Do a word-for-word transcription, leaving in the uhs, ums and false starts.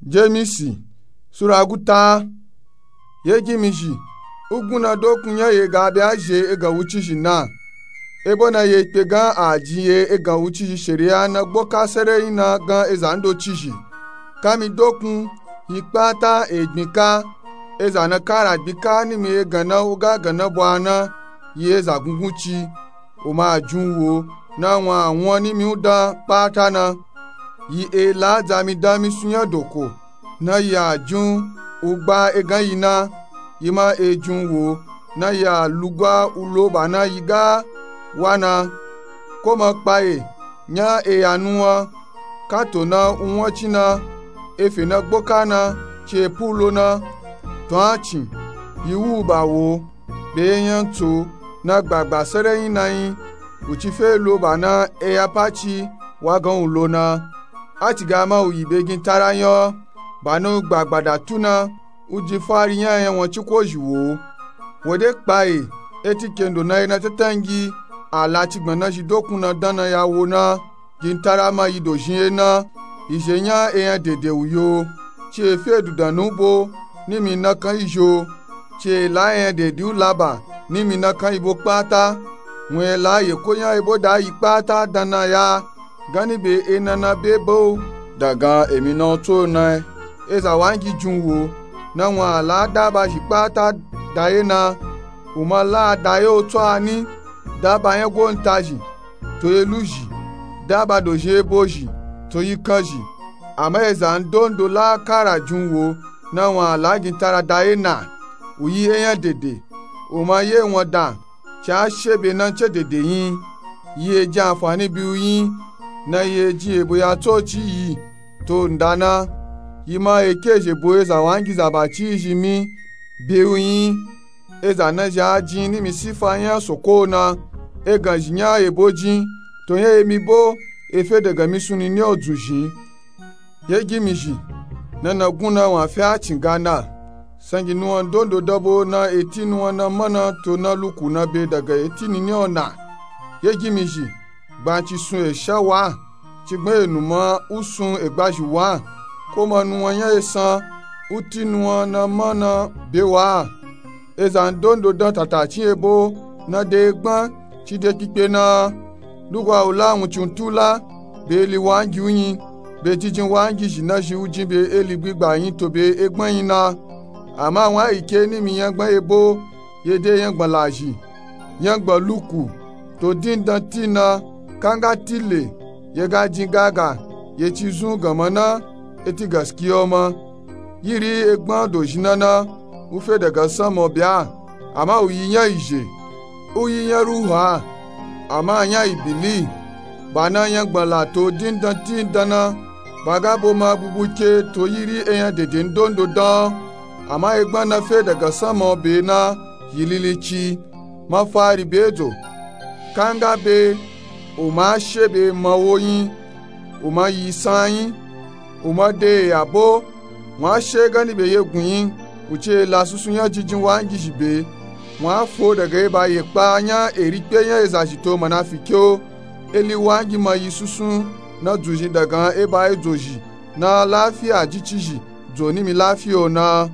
Jemisi sura guta. Ye gimizhi, ugun na dokun nya ye ga be a zhe egan wucizhi na. Ebo na ye kpe gan a jin ye egan wucizhi sheriya na gboka sereyi na gan eza ndocizhi. Kami dokun yi kpata e gbin ka, eza na kara gbin ka nimi egan na uga gan na bwa na yi eza gungun ci. Uma a jin u wo na wun a wun nimi u dan kpata na. Yi e la dzami dan misun nya doko na yi a jin u gba egan yi na. Yi ma e jin u wo na yi a lugwa u lo ba na yi ga wa na. Ko ma kpaye nya e ya nuwan, kato na u wun ci na, efe na gboka na, ci e pu lo na. To a cin yi wu u ba wo be ye nya tso na gbagba sereyi na yi. U ci fe lo ba na eya pa ci wa gan u lo na. A ci ga ma u yi be gin tara nya ba na u gbagba da tu na. U jin fari nya enya wun ci ko zhi wo. Wo de kpaye eti kendo na yi na tatangi a la ci gbana zhi dokun na dan na ya wo na. Gin tara ma yi dozhin ye na. Yi zhe nya enya dede u yo. Ci e fe dudan nu bo nimi na kan yi zho. Ci e la enya dede u la ba nimi na kan yi bo kpata. Wun e la ye ko nya ebo da yi kpata dan na ya gani be e na na be bo. Dagan emi na u tso na eza wangi jin u wo na wun a la daba zhi kpata da ye na. U ma la da ye o tso a ni, daba nya gowuntazhi, to ye luzhi, daba dozhin ebo zhi, to yi kanzhi. Ama eza ndondo la kara jin u wo na wun a la gin tara da ye na. U yi enya dede, u ma ye wun dan ci a she be na ce dede yin. Yi e jin anfani bi u yin na yi e jin ebo ya tso ci yi to nda na. Yi ma e ke zhe bo eza wangi zaba ci yi zhi mi be u yin. Eza na zhi a jin nimi sifa nya soko na. Egan zhi nya ebo jin to nya emi bo e fe dagan misun nini o dzun zhin. Ye gimizhi na na gun na wun a fe a cin ga na. Sangi nuwan dondo dan bo na eti nuwan na mana to na luku na be dagan eti nini o na. Ye gimizhi gbanci sun e sha wa, ci gbon e numa u sun e gbazhi wa. Ko ma nuwan nya e san u ti nuwan na mana be wa. Eza ndondo dan tatacin ebo na de gbon ci de kikpe na. Lugwa u la wun ci u tu la be eli wangi u yin. Be jijin wangi zhi na zhi u jin be eli gbigba yin to be egbon yin na. Ama wun a yi ke nimi nya gbon ebo ye de nya gbon lazhi, nya gbon luku, to dindan ti na. Kanga ti le ye ga jin gaga ye ci zun gan ma na eti gaskiya o ma. Yiri egbon dozhin na na u fe dagan sanma o bya. Ama u yi nya yi zhe, u yi nya ruhu a, ama nya yi bili. Ba na nya gbon la to dindan ti dan na. Ba ga bo ma bubu ke to yiri enya dede ndondo dan. Ama egbon na fe dagan sanma o be na yi lili ci. Ma fari be dzo. Kanga be u ma she be ma wo yin. U ma yi san yin. U ma de eya bo. Wun a she gani be ye gun yin. U ci e la susu nya jijin wangi zhi be. Wun a fo dagan eba ye kpa nya eri kpe nya eza zhi to manafiki o. Eli wangi ma yi susu na dzun zhin dagan eba edzo zhi na lafiya ji ci zhi dzo nimi lafiya o na.